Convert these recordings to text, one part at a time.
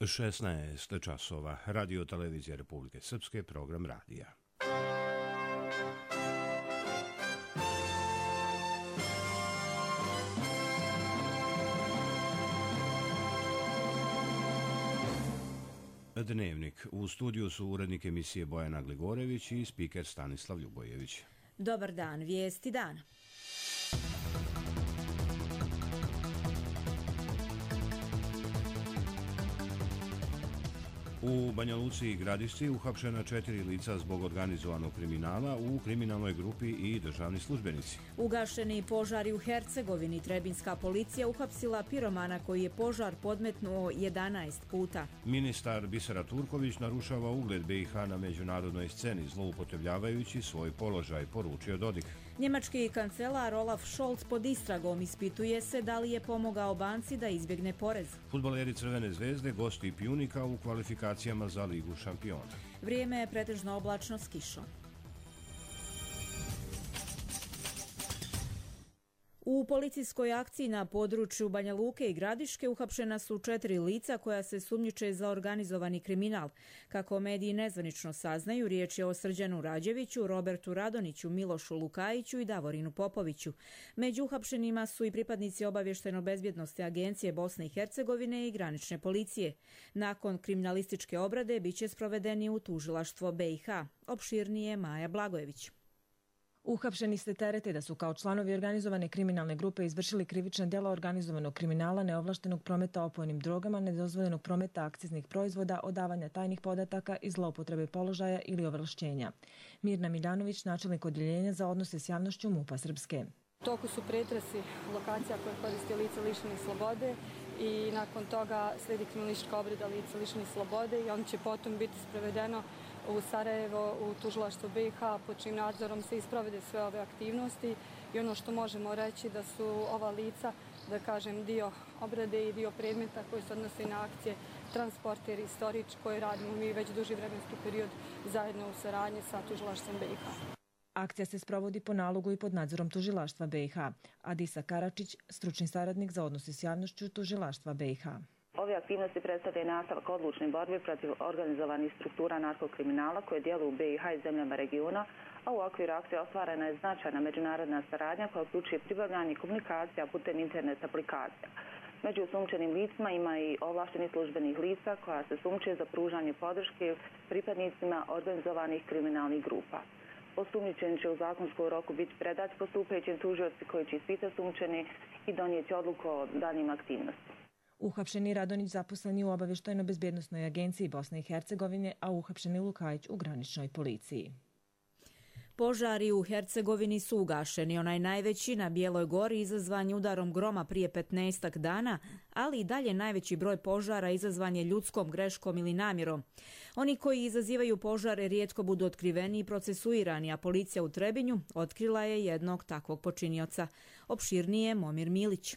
16 časova. Radio Televizija Republike Srpske, program radija. Dnevnik. U studiju su urednik emisije Bojana Gligorević i spiker Stanislav Ljubojević. Dobar dan, vijesti dana. U Banja Luci i Gradišci uhapšena 4 lica zbog organizovanog kriminala u kriminalnoj grupi i državni službenici. Ugašeni požari u Hercegovini. Trebinska policija uhapsila piromana koji je požar podmetnuo 11 puta. Ministar Bisera Turković narušava ugled BiH na međunarodnoj sceni zloupotrebljavajući svoj položaj, poručio Dodik. Njemački kancelar Olaf Scholz pod istragom, ispituje se da li je pomogao banci da izbjegne porez. Fudbaleri Crvene zvezde gosti Pjunika u kvalifikacijama za Ligu šampiona. Vrijeme je pretežno oblačno s kišom. U policijskoj akciji na području Banja Luke i Gradiške uhapšena su 4 lica koja se sumnjiče za organizovani kriminal. Kako mediji nezvanično saznaju, riječ je o Srđanu Rađeviću, Robertu Radoniću, Milošu Lukajiću i Davorinu Popoviću. Među uhapšenima su i pripadnici obavještajno-bezbjednosne agencije Bosne i Hercegovine i granične policije. Nakon kriminalističke obrade biće sprovedeni u tužilaštvo BiH. Opširnije Maja Blagojević. Uhapšeni se terete da su kao članovi organizovane kriminalne grupe izvršili krivična djela organizovanog kriminala, neovlaštenog prometa opojnim drogama, nedozvoljenog prometa akciznih proizvoda, odavanja tajnih podataka i zloupotrebe položaja ili ovlašćenja. Mirna Miljanović, načelnik odjeljenja za odnose s javnošću MUP-a Srpske. U toku su pretresi lokacija koje koristi lice lišenih slobode i nakon toga slijedi kriminalistička obrada lica lišenih slobode i on će potom biti sprovedeno u Sarajevo, u tužilaštvo BiH, pod čijim nadzorom se isprovede sve ove aktivnosti i ono što možemo reći da su ova lica, da kažem, dio obrade i dio predmeta koji se odnose na akcije Transporter i Storić koje radimo mi već duži vremenski period zajedno u saradnji sa tužilaštvom BiH. Akcija se sprovodi po nalogu i pod nadzorom tužilaštva BiH. Adisa Karačić, stručni saradnik za odnose s javnošću tužilaštva BiH. Ove aktivnosti predstavljaju nastavak odlučne borbe protiv organizovanih struktura narkokriminala koje djeluju u BiH i zemljama regiona, a u okviru akcije ostvarena je značajna međunarodna saradnja koja uključuje pribavljanje komunikacija putem internet aplikacija. Među sumnčenim licima ima i ovlaštenih službenih lica koja se sumnčuje za pružanje podrške pripadnicima organizovanih kriminalnih grupa. Osumnjičeni će u zakonskom roku biti predat postupajućim tužioci koji će ispitati sumnčeni i donijeti odluku o daljnjim aktivnostima. Uhapšeni Radonić zaposleni u obavještajno-bezbjednosnoj agenciji Bosne i Hercegovine, a uhapšeni Lukajić u graničnoj policiji. Požari u Hercegovini su ugašeni, onaj najveći na Bijeloj gori izazvan je udarom groma prije 15 dana, ali i dalje najveći broj požara izazvan je ljudskom greškom ili namjerom. Oni koji izazivaju požare rijetko budu otkriveni i procesuirani, a policija u Trebinju otkrila je jednog takvog počinioca. Opširnije Momir Milić.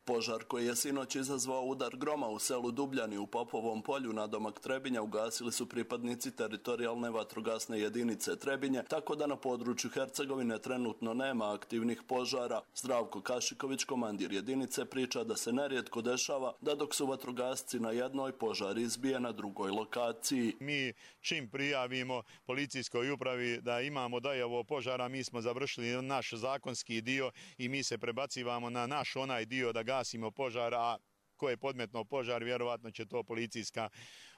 Požar koji je sinoć izazvao udar groma u selu Dubljani u Popovom polju nadomak Trebinja ugasili su pripadnici teritorijalne vatrogasne jedinice Trebinje, tako da na području Hercegovine trenutno nema aktivnih požara. Zdravko Kašiković, komandir jedinice, priča da se nerijetko dešava da dok su vatrogasci na jednoj, požar izbije na drugoj lokaciji. Mi čim prijavimo policijskoj upravi da imamo dojavu požara, mi smo završili naš zakonski dio i mi se prebacivamo na naš onaj dio da gasimo požar, a ko je podmetno požar, vjerovatno će to policijska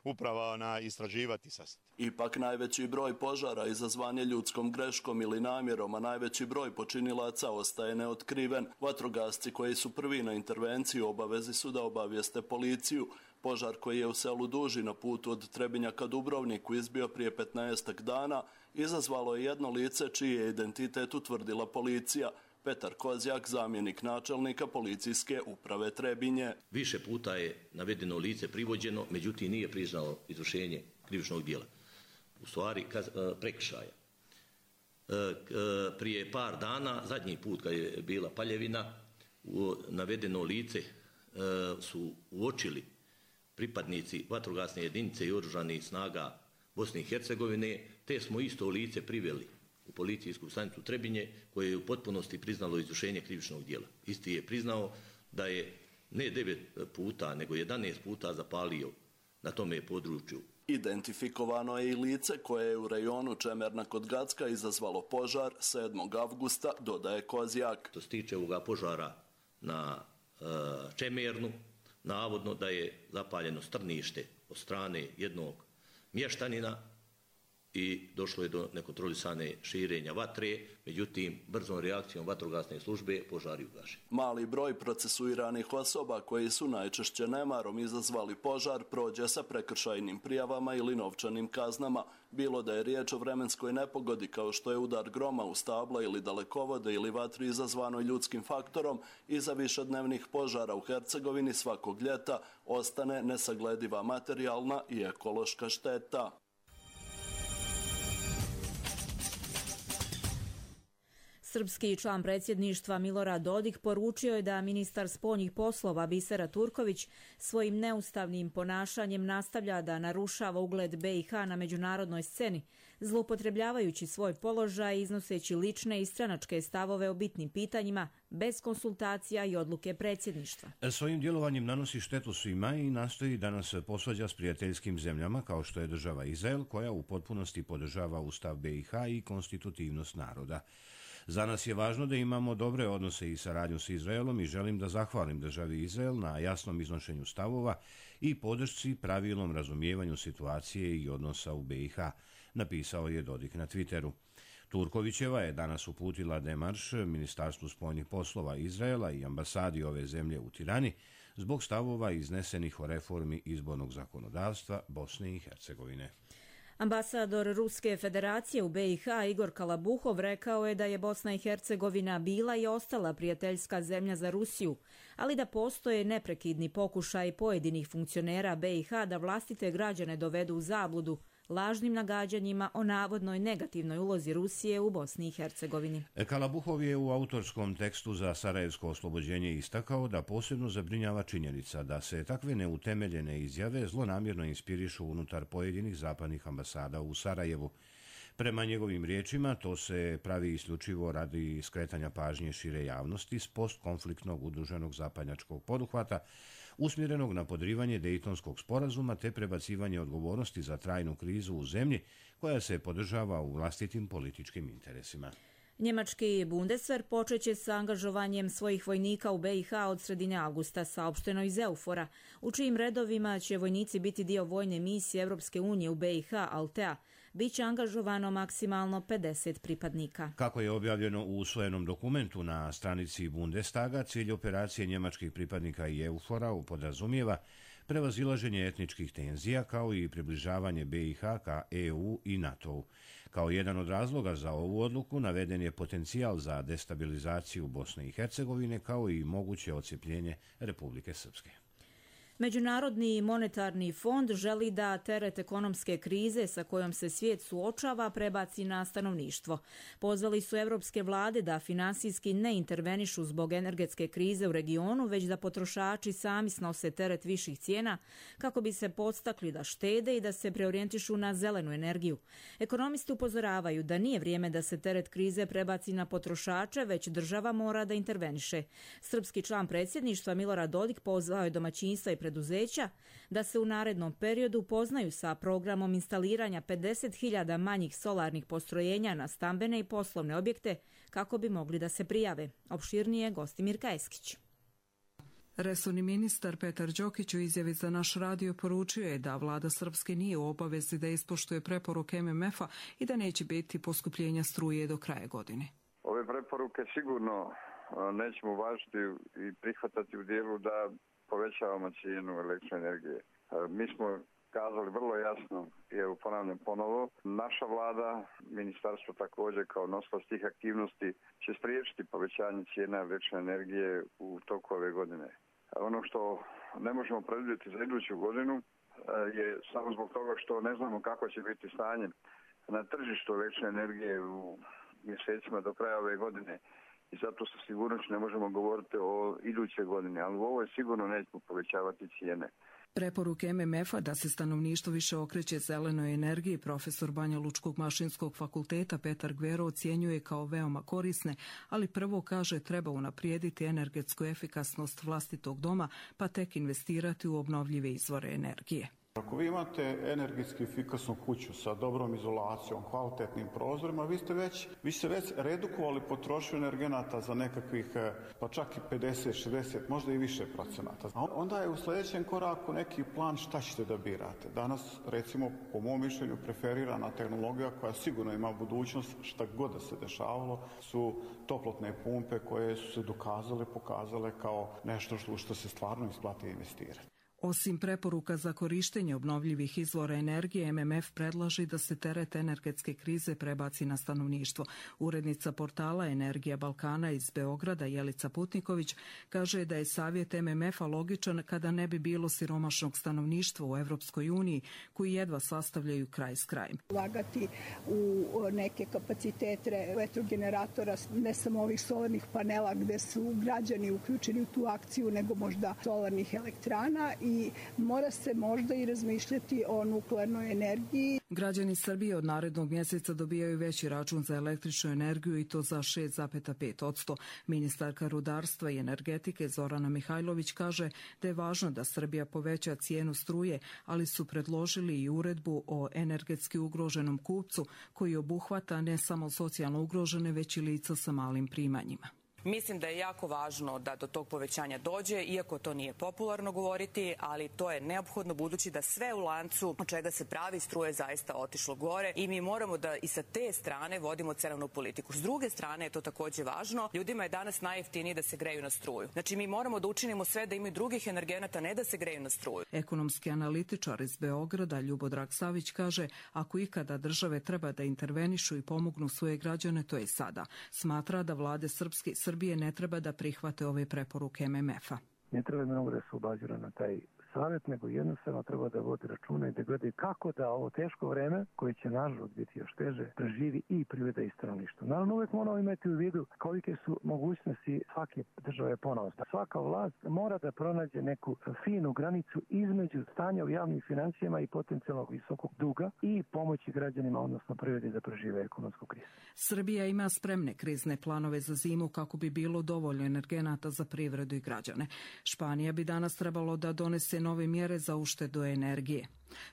uprava istraživati sasvim. Ipak najveći broj požara izazvan je ljudskom greškom ili namjerom, a najveći broj počinilaca ostaje neotkriven. Vatrogasci koji su prvi na intervenciju obavezi su da obavijeste policiju. Požar koji je u selu Duži na putu od Trebinja ka Dubrovniku izbio prije 15 dana izazvalo je jedno lice čiji je identitet utvrdila policija. Petar Kozjak, zamjenik načelnika policijske uprave Trebinje. Više puta je navedeno lice privođeno, međutim nije priznalo izvršenje krivičnog djela. U stvari prekršaja. Prije par dana, zadnji put kad je bila paljevina, navedeno lice su uočili pripadnici vatrogasne jedinice i oružanih snaga Bosne i Hercegovine, te smo isto lice priveli u policijsku stanicu Trebinje koje je u potpunosti priznalo izvršenje krivičnog djela. Isti je priznao da je ne 9 puta, nego 11 puta zapalio na tome području. Identifikovano je i lice koje je u rejonu Čemerna kod Gacka izazvalo požar 7. avgusta, dodaje Kozjak. Što se tiče ovoga požara na Čemernu, navodno da je zapaljeno strnište od strane jednog mještanina i došlo je do nekontrolisane širenja vatre, međutim, brzom reakcijom vatrogasne službe požar je ugašen. Mali broj procesuiranih osoba koji su najčešće nemarom izazvali požar prođe sa prekršajnim prijavama ili novčanim kaznama, bilo da je riječ o vremenskoj nepogodi kao što je udar groma u stabla ili dalekovode ili vatri izazvanoj ljudskim faktorom, iza višednevnih požara u Hercegovini svakog ljeta ostane nesaglediva materijalna i ekološka šteta. Srpski član predsjedništva Milorad Dodik poručio je da ministar spoljnih poslova Bisera Turković svojim neustavnim ponašanjem nastavlja da narušava ugled BiH na međunarodnoj sceni, zloupotrebljavajući svoj položaj i iznoseći lične i stranačke stavove o bitnim pitanjima bez konsultacija i odluke predsjedništva. Svojim djelovanjem nanosi štetu svima i nastoji da nas posvađa s prijateljskim zemljama kao što je država Izrael, koja u potpunosti podržava Ustav BiH i konstitutivnost naroda. Za nas je važno da imamo dobre odnose i saradnju s Izraelom i želim da zahvalim državi Izrael na jasnom iznošenju stavova i podršci pravilnom razumijevanju situacije i odnosa u BiH, napisao je Dodik na Twitteru. Turkovićeva je danas uputila demarš Ministarstvu spoljnih poslova Izraela i ambasadi ove zemlje u Tirani zbog stavova iznesenih o reformi izbornog zakonodavstva Bosne i Hercegovine. Ambasador Ruske federacije u BiH Igor Kalabuhov rekao je da je Bosna i Hercegovina bila i ostala prijateljska zemlja za Rusiju, ali da postoje neprekidni pokušaj pojedinih funkcionera BiH da vlastite građane dovedu u zabludu lažnim nagađanjima o navodnoj negativnoj ulozi Rusije u Bosni i Hercegovini. Kalabuhov je u autorskom tekstu za Sarajevsko oslobođenje istakao da posebno zabrinjava činjenica da se takve neutemeljene izjave zlonamjerno inspirišu unutar pojedinih zapadnih ambasada u Sarajevu. Prema njegovim riječima, to se pravi isključivo radi skretanja pažnje šire javnosti s postkonfliktnog udruženog zapadnjačkog poduhvata, usmjerenog na podrivanje Dejtonskog sporazuma te prebacivanje odgovornosti za trajnu krizu u zemlji koja se podržava u vlastitim političkim interesima. Njemački Bundeswehr počeće sa angažovanjem svojih vojnika u BiH od sredine avgusta, saopšteno iz Eufora, u čijim redovima će vojnici biti dio vojne misije Europske unije u BiH, Altea. Biće angažovano maksimalno 50 pripadnika. Kako je objavljeno u usvojenom dokumentu na stranici Bundestaga, cilj operacije njemačkih pripadnika i Eufora podrazumijeva prevazilaženje etničkih tenzija kao i približavanje BiH ka EU i NATO-u. Kao jedan od razloga za ovu odluku naveden je potencijal za destabilizaciju Bosne i Hercegovine kao i moguće odcijepljenje Republike Srpske. Međunarodni monetarni fond želi da teret ekonomske krize sa kojom se svijet suočava prebaci na stanovništvo. Pozvali su evropske vlade da finansijski ne intervenišu zbog energetske krize u regionu, već da potrošači sami snose teret viših cijena kako bi se podstakli da štede i da se preorijentišu na zelenu energiju. Ekonomisti upozoravaju da nije vrijeme da se teret krize prebaci na potrošače, već država mora da interveniše. Srpski član predsjedništva Milorad Dodik pozvao je domaćinstva i preduzeća da se u narednom periodu upoznaju sa programom instaliranja 50.000 manjih solarnih postrojenja na stambene i poslovne objekte kako bi mogli da se prijave. Opširnije Gostimir Kajeskić. Resorni ministar Petar Đokić u izjavi za naš radio poručio je da vlada Srpske nije u obavezi da ispoštuje preporuke MMF-a i da neće biti poskupljenja struje do kraja godine. Ove preporuke sigurno nećemo uvažiti i prihvatati u dijelu da povećavamo cijenu električne energije. Mi smo kazali vrlo jasno, i evo ponavljam ponovo, naša vlada, ministarstvo također kao nosilac tih aktivnosti će spriječiti povećanje cijena električne energije u toku ove godine. Ono što ne možemo predvidjeti za iduću godinu je samo zbog toga što ne znamo kako će biti stanje na tržištu električne energije u mjesecima do kraja ove godine. I zato sa sigurnošću ne možemo govoriti o iduće godine, ali u ovoj sigurno nećemo povećavati cijene. Preporuke MMF-a da se stanovništvo više okreće zelenoj energiji profesor Banja Lučkog mašinskog fakulteta Petar Gvero ocjenjuje kao veoma korisne, ali prvo kaže treba unaprijediti energetsku efikasnost vlastitog doma pa tek investirati u obnovljive izvore energije. Ako vi imate energetski efikasnu kuću sa dobrom izolacijom, kvalitetnim prozorima, vi ste već redukovali potrošnju energenata za nekakvih, pa čak i 50, 60, možda i više procenata. A onda je u sljedećem koraku neki plan šta ćete da birate. Danas, recimo, po mom mišljenju, preferirana tehnologija koja sigurno ima budućnost, šta god da se dešavalo, su toplotne pumpe koje su se pokazale kao nešto što se stvarno isplati investirati. Osim preporuka za korištenje obnovljivih izvora energije, MMF predlaže da se teret energetske krize prebaci na stanovništvo. Urednica portala Energija Balkana iz Beograda, Jelica Putniković, kaže da je savjet MMF-a logičan kada ne bi bilo siromašnog stanovništva u Evropskoj uniji, koji jedva sastavljaju kraj s krajem. Ulagati u neke kapacitete vetrogeneratora, ne samo ovih solarnih panela gde su građani uključeni u tu akciju, nego možda solarnih elektrana, i mora se možda i razmišljati o nuklearnoj energiji. Građani Srbije od narednog mjeseca dobijaju veći račun za električnu energiju i to za 6,5%. Ministarka rudarstva i energetike Zorana Mihajlović kaže da je važno da Srbija poveća cijenu struje, ali su predložili i uredbu o energetski ugroženom kupcu koji obuhvata ne samo socijalno ugrožene, već i lica sa malim primanjima. Mislim da je jako važno da do tog povećanja dođe, iako to nije popularno govoriti, ali to je neophodno budući da sve u lancu od čega se pravi struje zaista otišlo gore i mi moramo da i sa te strane vodimo cenovnu politiku. S druge strane je to takođe važno. Ljudima je danas najjeftinije da se greju na struju. Znači mi moramo da učinimo sve da imaju drugih energenata, ne da se greju na struju. Ekonomski analitičar iz Beograda Ljubodrag Savić kaže ako ikada države treba da intervenišu i pomognu svoje građane, to je sada. Smatra da vlade Srbije ne treba da prihvate ove preporuke MMF-a. Ne treba mnogo da se obazira na taj savjet, nego jednostavno treba da vodi računa i da gledaju kako da ovo teško vreme, koje će nažalost biti još teže, preživi i privreda i stanovništvo. Naravno, uvek moramo imati u vidu kolike su mogućnosti svake države ponovo. Svaka vlast mora da pronađe neku finu granicu između stanja u javnim financijama i potencijalnog visokog duga i pomoći građanima, odnosno privredi da prežive ekonomsku krizu. Srbija ima spremne krizne planove za zimu kako bi bilo dovoljno energenata za privredu i građane. Španija bi danas trebalo da donese nove mjere za uštedu energije.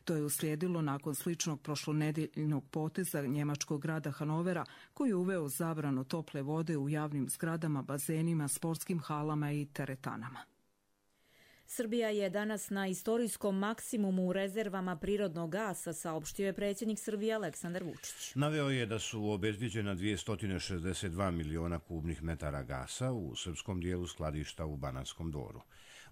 To je uslijedilo nakon sličnog prošlonedeljnog poteza njemačkog grada Hanovera, koji je uveo zabranu tople vode u javnim zgradama, bazenima, sportskim halama i teretanama. Srbija je danas na istorijskom maksimumu u rezervama prirodnog gasa, saopštio je predsjednik Srbije Aleksandar Vučić. Naveo je da su obezbijeđena 262 miliona kubnih metara gasa u srpskom dijelu skladišta u Banatskom Dvoru.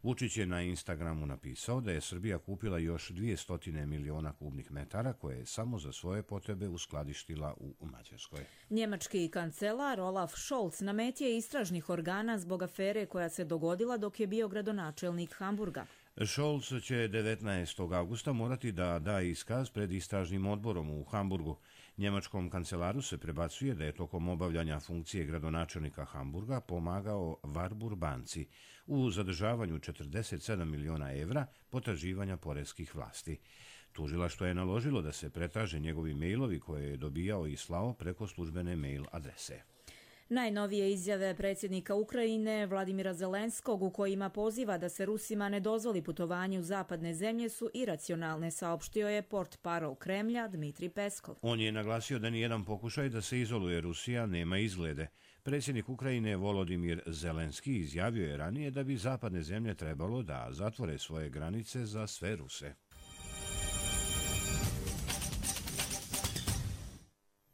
Vučić je na Instagramu napisao da je Srbija kupila još 200 miliona kubnih metara koje je samo za svoje potrebe uskladištila u Mađarskoj. Njemački kancelar Olaf Scholz na meti je istražnih organa zbog afere koja se dogodila dok je bio gradonačelnik Hamburga. Scholz će 19. augusta morati da da iskaz pred istražnim odborom u Hamburgu. Njemačkom kancelaru se prebacuje da je tokom obavljanja funkcije gradonačelnika Hamburga pomagao Warburg banci u zadržavanju 47 miliona evra potraživanja poreskih vlasti. Tužilaštvo je naložilo da se pretraže njegovi mejlovi koje je dobijao i slao preko službene mail adrese. Najnovije izjave predsjednika Ukrajine Vladimira Zelenskog u kojima poziva da se Rusima ne dozvoli putovanje u zapadne zemlje su iracionalne, saopštio je portparol Kremlja Dmitri Peskov. On je naglasio da nijedan pokušaj da se izoluje Rusija nema izglede. Predsjednik Ukrajine Volodimir Zelenski izjavio je ranije da bi zapadne zemlje trebalo da zatvore svoje granice za sve Ruse.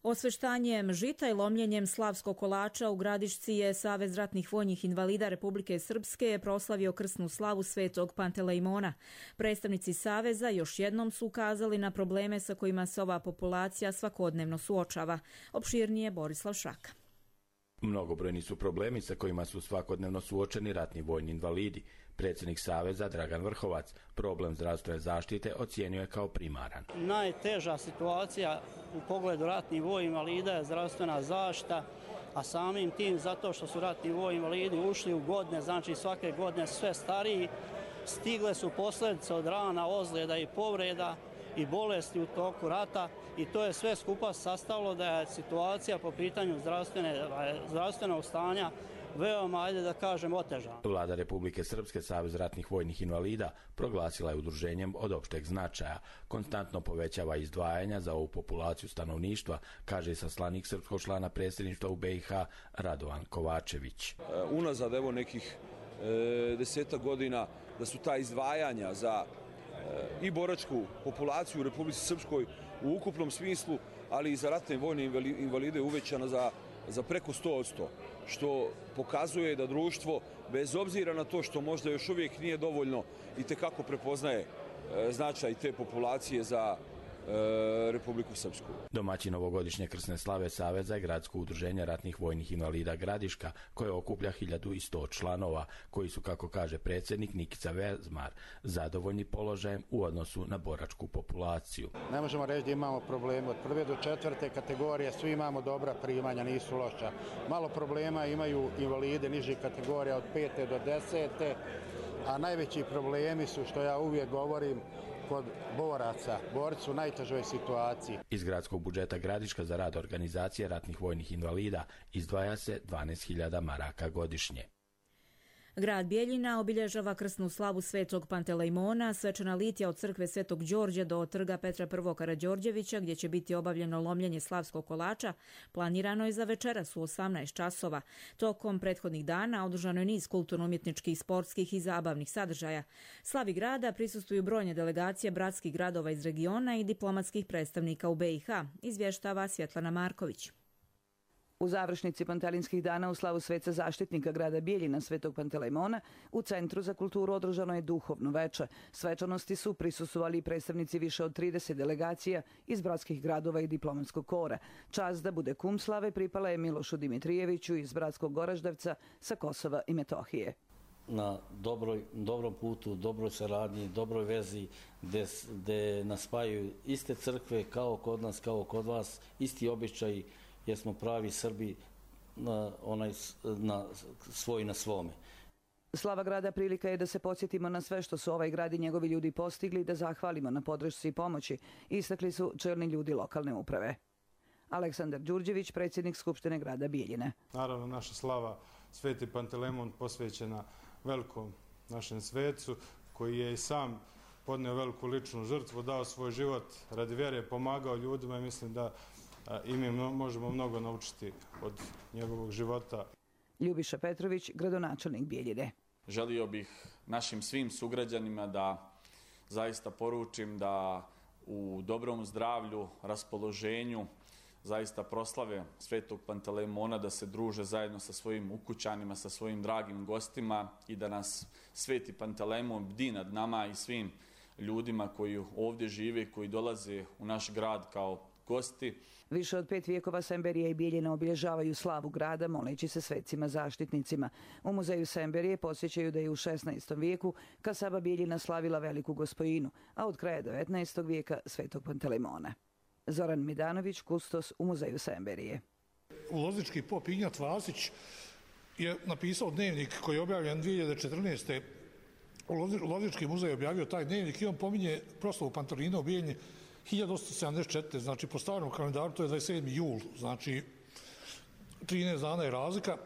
Osveštanjem žita i lomljenjem slavskog kolača u Gradišci je Savez ratnih vojnih invalida Republike Srpske proslavio krsnu slavu Svetog Pantelejmona. Predstavnici Saveza još jednom su ukazali na probleme sa kojima se ova populacija svakodnevno suočava. Opširnije Borislav Šraka. Mnogobrojni su problemi sa kojima su svakodnevno suočeni ratni vojni invalidi. Predsjednik Saveza Dragan Vrhovac problem zdravstvene zaštite ocijenio je kao primaran. Najteža situacija u pogledu ratnih vojnih invalida je zdravstvena zaštita, a samim tim zato što su ratni vojni invalidi ušli u godine, znači svake godine sve stariji, stigle su posljedice od rana, ozljeda i povreda i bolesti u toku rata i to je sve skupa sastavilo da je situacija po pitanju zdravstvenog stanja veoma, ajde da kažem, otežan. Vlada Republike Srpske, Savez ratnih vojnih invalida, proglasila je udruženjem od opšteg značaja. Konstantno povećava izdvajanja za ovu populaciju stanovništva, kaže saslanik srpskog člana predsjedništva u BiH Radovan Kovačević. Unazad evo nekih 10 godina da su ta izdvajanja za i boračku populaciju u Republici Srpskoj u ukupnom smislu, ali i za ratne vojne invalide uvećana za preko 100%, što pokazuje da društvo, bez obzira na to što možda još uvijek nije dovoljno, itekako prepoznaje značaj te populacije za Republiku Srpsku. Domaćin ovogodišnje krsne slave Saveza je Gradsko udruženje ratnih vojnih invalida Gradiška, koje okuplja 1100 članova, koji su, kako kaže predsjednik Nikica Vezmar, zadovoljni položajem u odnosu na boračku populaciju. Ne možemo reći da imamo probleme. Od 1. do 4. kategorije svi imamo dobra primanja, nisu loša. Malo problema imaju invalide nižih kategorija od 5. do 10. A najveći problemi su, što ja uvijek govorim, kod boraca. Borci su u najtežoj situaciji. Iz gradskog budžeta Gradiška za rad organizacije ratnih vojnih invalida izdvaja se 12.000 maraka godišnje. Grad Bijeljina obilježava krsnu slavu Svetog Pantelejmona, svečana litija od crkve Svetog Đorđa do trga Petra I. Karađorđevića, gdje će biti obavljeno lomljenje slavskog kolača, planirano je za večeras u 18 časova. Tokom prethodnih dana održano je niz kulturno-umjetničkih, sportskih i zabavnih sadržaja. Slavi grada prisustvuju brojne delegacije bratskih gradova iz regiona i diplomatskih predstavnika u BiH, izvještava Svjetlana Marković. U završnici Pantelinskih dana u slavu sveca zaštitnika grada Bijeljina Svetog Pantelejmona u Centru za kulturu održano je duhovno veče. Svečanosti su prisustvovali i predstavnici više od 30 delegacija iz bratskih gradova i diplomatskog kora. Čast da bude kum slave pripala je Milošu Dimitrijeviću iz bratskog Goraždevca sa Kosova i Metohije. Na dobrom putu, dobroj saradnji, dobroj vezi, gde nas spajaju iste crkve kao kod nas, kao kod vas, isti običaji, jer smo pravi Srbi svoj na svome. Slava grada prilika je da se podsjetimo na sve što su ovaj grad i njegovi ljudi postigli, da zahvalimo na podršci i pomoći, istakli su čelni ljudi lokalne uprave. Aleksandar Đurđević, predsjednik Skupštine grada Bijeljine. Naravno, naša slava Sveti Pantelejmon posvećena velikom našem svecu, koji je i sam podneo veliku ličnu žrtvu, dao svoj život radi vjere, pomagao ljudima i mislim da i mi možemo mnogo naučiti od njegovog života. Ljubiša Petrović, gradonačelnik Bijeljine. Želio bih našim svim sugrađanima da zaista poručim da u dobrom zdravlju, raspoloženju, zaista proslave Svetog Pantelejmona, da se druže zajedno sa svojim ukućanima, sa svojim dragim gostima i da nas Sveti Pantelejmon bdi nad nama i svim ljudima koji ovdje žive, koji dolaze u naš grad kao gosti. Više od 5 vijekova Semberija i Bijeljina obilježavaju slavu grada moleći se svecima zaštitnicima. U muzeju Semberije podsjećaju da je u 16. vijeku kasaba Bijeljina slavila veliku gospojinu, a od kraja 19. vijeka Svetog Pantelejmona. Zoran Midanović, kustos u muzeju Semberije. Loznički pop Ignjat Vasić je napisao dnevnik koji je objavljen 2014. Loznički muzej objavio taj dnevnik i on pominje proslavu Pantelejmona u Bijeljini 1874. Znači po starom kalendaru to je 27. jul, znači 13 dana je razlika.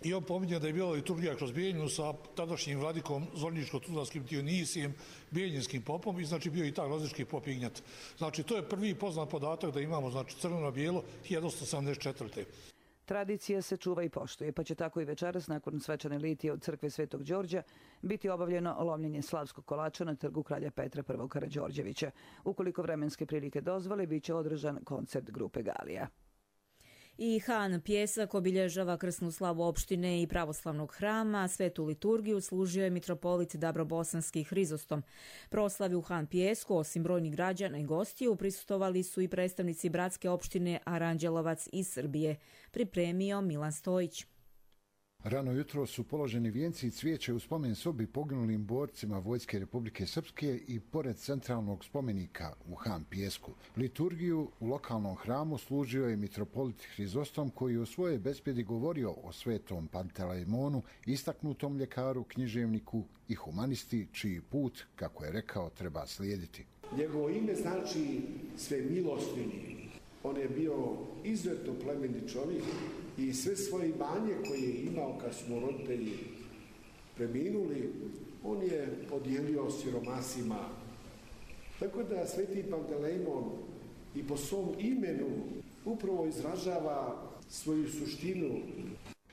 I on pominje da je bila liturgija kroz Bijeljinu sa tadašnjim vladikom Zvorničko-Tuzlanskim Dionisijem, bijeljinskim popom i znači bio i taj loznički pop Ignjat. Znači to je prvi poznat podatak da imamo znači crno na bijelo 1874. Tradicija se čuva i poštuje, pa će tako i večeras nakon svečane litije od crkve Svetog Đorđa biti obavljeno lomljenje slavskog kolača na trgu kralja Petra I. Karađorđevića. Ukoliko vremenske prilike dozvole, bit će održan koncert grupe Galija. I Han Pjesak obilježava krsnu slavu opštine i pravoslavnog hrama. Svetu liturgiju služio je mitropolit Dabrobosanski Hrizostom. Proslavi u Han Pjesku, osim brojnih građana i gostiju, prisustvovali su i predstavnici bratske opštine Aranđelovac iz Srbije. Pripremio Milan Stojić. Rano jutro su položeni vijenci i cvijeće u spomen sobi poginulim borcima Vojske Republike Srpske i pored centralnog spomenika u Han Pjesku. Liturgiju u lokalnom hramu služio je mitropolit Hrizostom, koji u svojoj bespjedi govorio o Svetom Pantelejmonu, istaknutom ljekaru, književniku i humanisti, čiji put, kako je rekao, treba slijediti. Njegovo ime znači sve milostivni. On je bio izuzetno plemeniti čovjek i sve svoje imanje koje je imao kad su mu roditelji preminuli, on je podijelio siromasima. Tako da Sveti Pantelejmon i po svom imenu upravo izražava svoju suštinu.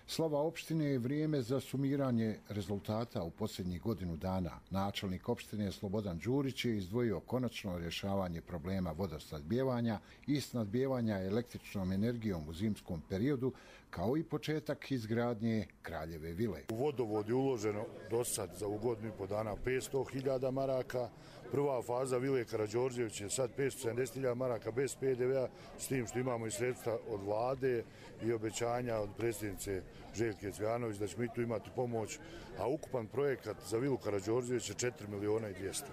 Slava opštine je vrijeme za sumiranje rezultata u posljednjih godinu dana. Načelnik opštine Slobodan Đurić je izdvojio konačno rješavanje problema vodosnadbijevanja i snadbijevanja električnom energijom u zimskom periodu, kao i početak izgradnje Kraljeve vile. U vodovod je uloženo do sad za godinu i po dana 500.000 maraka. Prva faza vile Karađorđević je sad 570.000 maraka bez PDV-a, s tim što imamo i sredstva od vlade i obećanja od predsjednice Željke Cvijanović da ćemo i tu imati pomoć, a ukupan projekat za vilu Karađorđević je 4.200.000.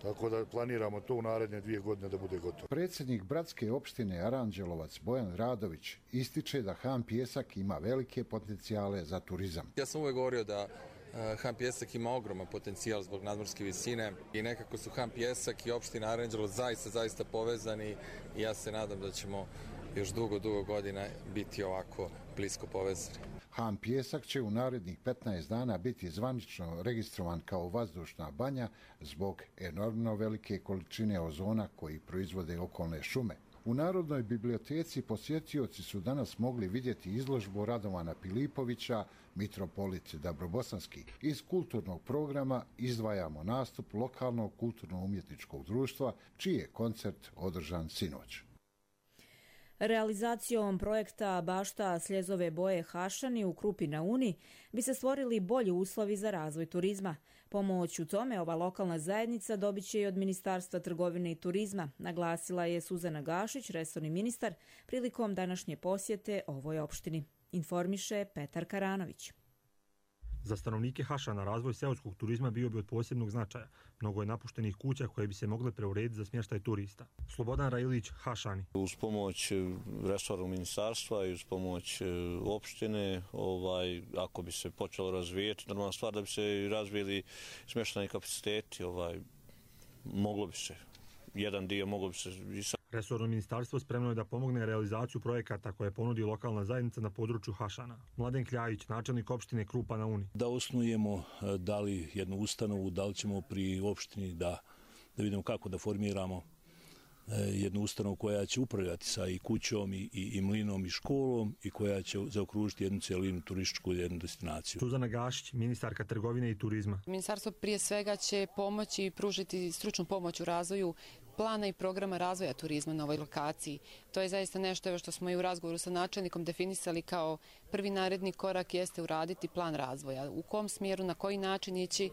Tako da planiramo to u naredne 2 godine da bude gotovo. Predsjednik Bratske opštine Aranđelovac Bojan Radović ističe da Han Pijesak ima velike potencijale za turizam. Ja sam uvijek govorio da Han Pijesak ima ogroman potencijal zbog nadmorske visine i nekako su Han Pijesak i opština Aranđelovac zaista povezani i ja se nadam da ćemo još dugo godina biti ovako blisko povezani. Han Pijesak će u narednih 15 dana biti zvanično registrovan kao vazdušna banja zbog enormno velike količine ozona koji proizvode okolne šume. U Narodnoj biblioteci posjetioci su danas mogli vidjeti izložbu Radovana Pilipovića, Mitropolit Dabrobosanski. Iz kulturnog programa izdvajamo nastup lokalnog kulturno-umjetničkog društva, čiji je koncert održan sinoć. Realizacijom projekta Bašta Sljezove boje Hašani u Krupi na Uni bi se stvorili bolji uslovi za razvoj turizma. Pomoć u tome ova lokalna zajednica dobit će i od Ministarstva trgovine i turizma, naglasila je Suzana Gašić, resorni ministar, prilikom današnje posjete ovoj opštini. Informiše Petar Karanović. Za stanovnike Hašana razvoj seoskog turizma bio bi od posebnog značaja. Mnogo je napuštenih kuća koje bi se mogle preurediti za smještaj turista. Slobodan Rajilić, Hašani. Uz pomoć resornog ministarstva i uz pomoć opštine, ako bi se počelo razvijeti, normalna stvar da bi se razvijeli smještajni kapaciteti, moglo bi se. Jedan dio moglo bi se i sad. Resorno ministarstvo spremno je da pomogne realizaciju projekata koje ponudi lokalna zajednica na području Hašana. Mladen Kljajić, načelnik opštine Krupa na Uni. Da osnujemo da li jednu ustanovu, da li ćemo pri opštini da vidimo kako da formiramo jednu ustanovu koja će upravljati sa i kućom i mlinom i školom i koja će zaokružiti jednu cijelinu turističku jednu destinaciju. Suzana Gašić, ministarka trgovine i turizma. Ministarstvo prije svega će pomoći i pružiti stručnu pomoć u razvoju plana i programa razvoja turizma na ovoj lokaciji. To je zaista nešto što smo i u razgovoru sa načelnikom definisali kao prvi naredni korak jeste uraditi plan razvoja. U kom smjeru, na koji način ići,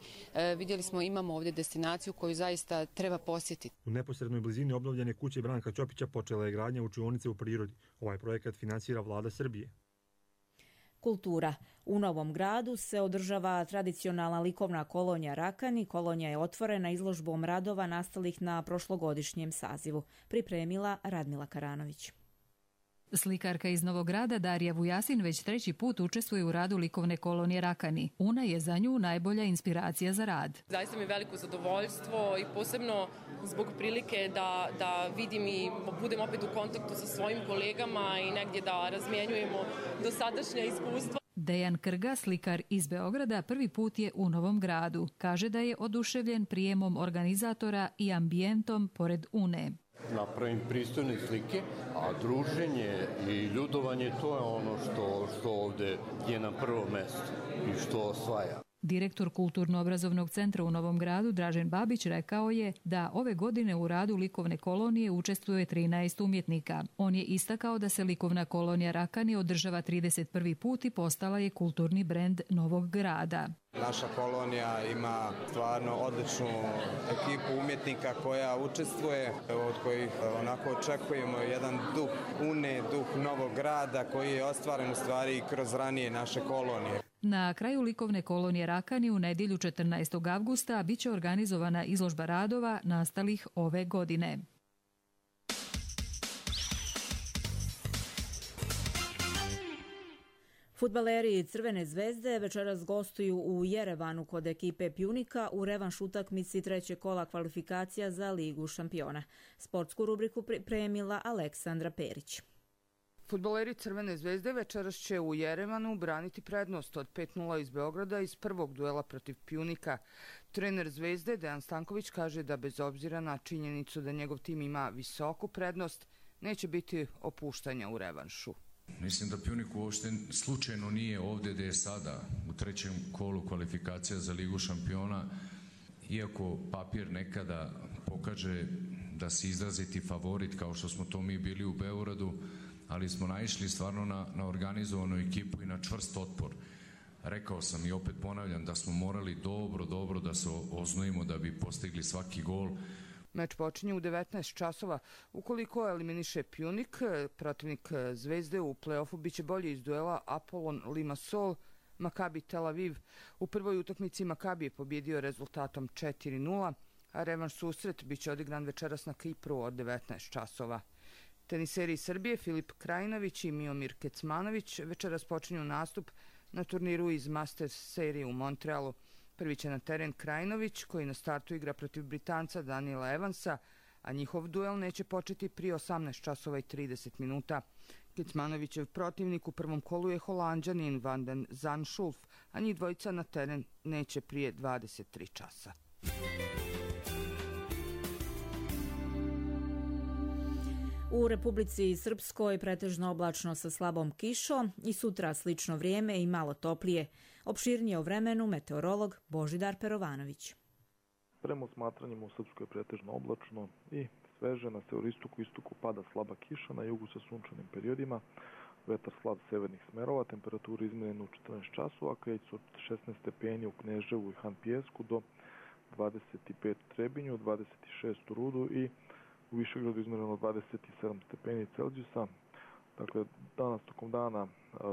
vidjeli smo imamo ovdje destinaciju koju zaista treba posjetiti. U neposrednoj blizini obnovljene kuće Branka Ćopića počela je gradnja učionice u prirodi. Ovaj projekat finansira vlada Srbije. Kultura. U Novom Gradu se održava tradicionalna likovna kolonija Rakani. Kolonija je otvorena izložbom radova nastalih na prošlogodišnjem sazivu. Pripremila Radmila Karanović. Slikarka iz Novog Grada Darija Vujasin već 3. put učestvuje u radu likovne kolonije Rakani. Una je za nju najbolja inspiracija za rad. Zaista mi je veliko zadovoljstvo i posebno zbog prilike da vidim i budem opet u kontaktu sa svojim kolegama i negdje da razmjenjujemo dosadašnja iskustva. Dejan Krga, slikar iz Beograda, prvi put je u Novom Gradu. Kaže da je oduševljen prijemom organizatora i ambijentom pored Une. Napravim pristojne slike, a druženje i ljudovanje to je ono što ovdje je na prvo mjesto i što osvaja. Direktor Kulturno-obrazovnog centra u Novom Gradu Dražen Babić rekao je da ove godine u radu likovne kolonije učestvuje 13 umjetnika. On je istakao da se likovna kolonija Rakani održava 31. put i postala je kulturni brend Novog Grada. Naša kolonija ima stvarno odličnu ekipu umjetnika koja učestvuje, od kojih onako očekujemo jedan duh Une, duh Novog Grada koji je ostvaren u stvari kroz ranije naše kolonije. Na kraju likovne kolonije Rakani u nedjelju 14. avgusta biće organizovana izložba radova nastalih ove godine. Fudbaleri Crvene zvezde večeras gostuju u Jerevanu kod ekipe Pjunika u revanš utakmici 3. kola kvalifikacija za Ligu šampiona. Sportsku rubriku pripremila Aleksandra Perić. Fudbaleri Crvene zvezde večeras će u Jerevanu braniti prednost od 5:0 iz Beograda iz prvog duela protiv Pjunika. Trener Zvezde Dejan Stanković kaže da bez obzira na činjenicu da njegov tim ima visoku prednost, neće biti opuštanja u revanšu. Mislim da Pjunik uopšte slučajno nije ovdje gdje je sada, u trećem kolu kvalifikacija za Ligu šampiona, iako papir nekada pokaže da si izraziti favorit kao što smo to mi bili u Beogradu, ali smo naišli stvarno na organizovanu ekipu i na čvrst otpor. Rekao sam i opet ponavljam da smo morali dobro da se oznojimo da bi postigli svaki gol. Meč počinje u 19 časova. Ukoliko eliminiše Pjunik, protivnik Zvezde u play-offu biće bolji iz duela Apollon Limassol Maccabi Tel Aviv. U prvoj utakmici Maccabi je pobjedio rezultatom 4:0, a revanš susret biće odigran večeras na Kipru od 19 časova. Teniseri iz Srbije Filip Krajinović i Miomir Kecmanović večeras počinju nastup na turniru iz Masters serije u Montrealu. Prvi će na teren Krajinović, koji na startu igra protiv Britanca Daniela Evansa, a njihov duel neće početi prije 18 časova i 30 minuta. Kecmanovićev protivnik u prvom kolu je Holanđanin Van den Zandschulp, a njih dvojica na teren neće prije 23 časa. U Republici Srpskoj pretežno oblačno sa slabom kišom i sutra slično vrijeme i malo toplije. Opširnije o vremenu meteorolog Božidar Perovanović. Prema smatranjem u Srpskoj pretežno oblačno i sveže, na severistoku i istoku pada slaba kiša, na jugu sa sunčanim periodima, vetar slab severnih smerova, temperatura izmjerena u 14 časova, kreće od 16 stepeni u Kneževu i Hanpijesku do 25 u Trebinju, 26 u Rudu i u Višegradu izmjereno 27 stepeni Celzijusa. Dakle, danas tokom dana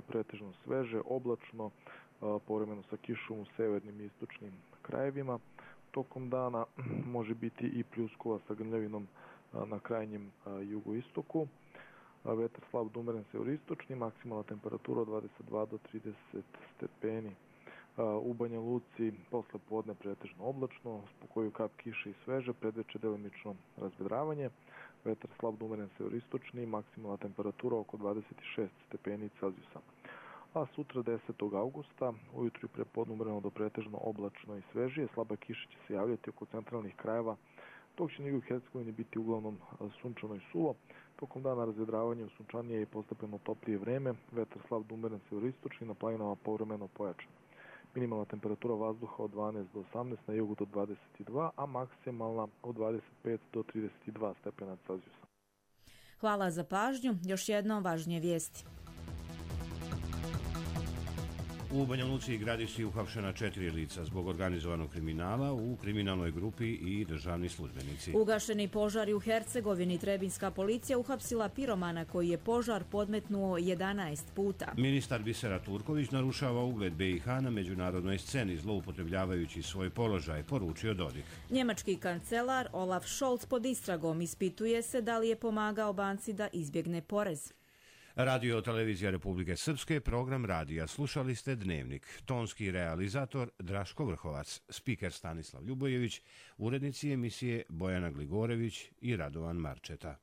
pretežno sveže, oblačno, povremeno sa kišom u severnim i istočnim krajevima. Tokom dana može biti i pljuskova sa grmljavinom na krajnjem jugoistoku. Vetar slab do umeren severistočni, maksimalna temperatura od 22 do 30 stepeni. U Banja Luci posle podne pretežno oblačno, spokojiju kap kiše i sveže, predveče delimično razvedravanje. Vetar slab do umeren severistočni, maksimalna temperatura oko 26 stepeni Celzijusa. A sutra 10. augusta, ujutru i prepodne umereno do pretežno oblačno i svežije, slaba kiša će se javljati oko centralnih krajeva, dok će na jugu Hercegovini biti uglavnom sunčano i suvo. Tokom dana razvedravanje u sunčanije i postepeno toplije vreme, vetar slab do umeren severistočni, na planinama povremeno pojačan. Minimalna temperatura vazduha od 12 do 18, na jugu do 22, a maksimalna od 25 do 32 stepena Celzijusa. Hvala za pažnju. Još jednom važnije vijesti. U Banja Luci i Gradišci uhapšena 4 lica zbog organizovanog kriminala u kriminalnoj grupi i državni službenici. Ugašeni požari u Hercegovini, trebinska policija uhapsila piromana koji je požar podmetnuo 11 puta. Ministar Bisera Turković narušava ugled BiH na međunarodnoj sceni zloupotrebljavajući svoj položaj, poručio Dodik. Njemački kancelar Olaf Scholz pod istragom, ispituje se da li je pomagao banci da izbjegne porez. Radio Televizija Republike Srpske, program radija. Slušali ste Dnevnik. Tonski realizator Draško Vrhovac, spiker Stanislav Ljubojević, urednici emisije Bojana Gligorević i Radovan Marčeta.